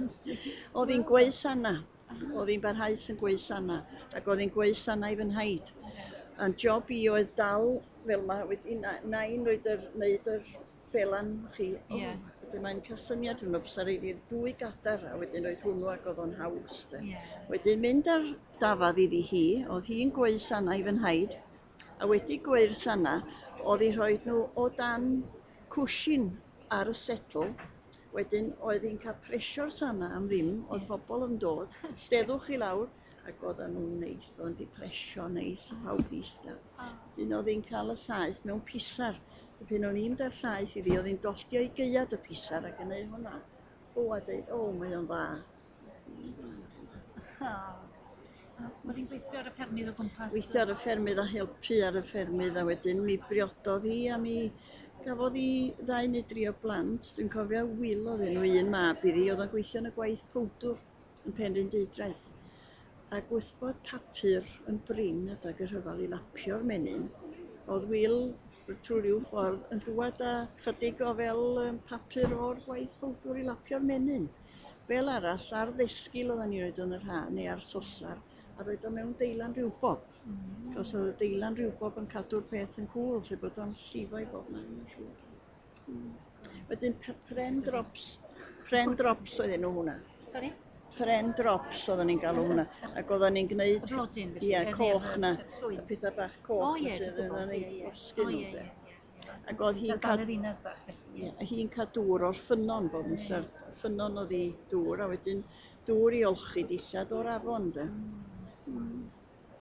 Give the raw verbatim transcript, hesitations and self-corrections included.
Oedd hi'n gweu sana. Oedd hi'n barhaus yn gweu sana. Ac oedd hi'n gweu sana i fy nhaid. A'n job i oedd dal fel 'ma, wedyn nain roed yr, wneud yr felan chi. Ie. Wedyn mae'n cael syniad hwnnw, bysa raid i'r dwy gadar, a wedyn roedd hwnnw ac oedd o'n haws. De. Ie. Wedyn mynd ar dafad iddi hi, oedd hi'n gweu sana i fy nhaid, a wedi gweu'r sana, oedd hi rhoi nhw o dan cwshin ar y setl. Wedyn oedd hi'n cael presio'r sana am ddim, oedd pobl yn dod, steddwch chi lawr, ac oedden nhw'n neis, oedd wedi presio neis, a pawb di eistedd. Wedyn oedd hi'n cael y llaeth mewn pisar. A pan o'n i'n mynd â'r llaeth iddi, oedd hi'n dolltio i gaead y pisar ac yn neud hwnna. O, a deud, o, mae o'n dda. Oedd hi'n gweithio ar y ffermydd o gwmpas? Gweithio ar y ffermydd a helpu ar y ffermydd, a wedyn mi briododd hi a mi gafodd hi ddau neu dri o blant. Dwi'n cofio Wil oedd enw un mab iddi, oedd o'n gweithio yn y gwaith powdwr yn Penrhyndeudraeth. Ac wrth bod papur yn brin adag y rhyfel i lapio'r menyn, oedd Wil trwy ryw ffordd yn dŵad â chydig o fel yym, papur o'r gwaith powdwr i lapio'r menyn. Fel arall, ar ddesgyl oedden ni'n rhoid o yn yr ha, neu ar sosar, a rhoid o mewn deilan riwbob. Mm. Cos oedd y deilan riwbob yn cadw'r peth yn cŵl, lle bod o'n llifo i bob man. Mm. Wedyn pren drops, pren drops oedd enw hwnna. Sorry? Pren drops oedden ni'n galw hwnna. Ac oedden ni'n gwneud... Y blodyn, felly? Ie, coch na. Y Y pethau bach coch O, ie, na sydd dwi'n oedden gwybod, ni'n ie, ie. gwasgu O, nhw, ie, de. ie, ie. Ac oedd hi'n Fel cael ballerinas bach, felly. Ie, hi'n cael dŵr o'r ffynnon bob amser. Ffynnon oedd hi dŵr, a wedyn dŵr i olchi dillad o'r afon, de. Mm.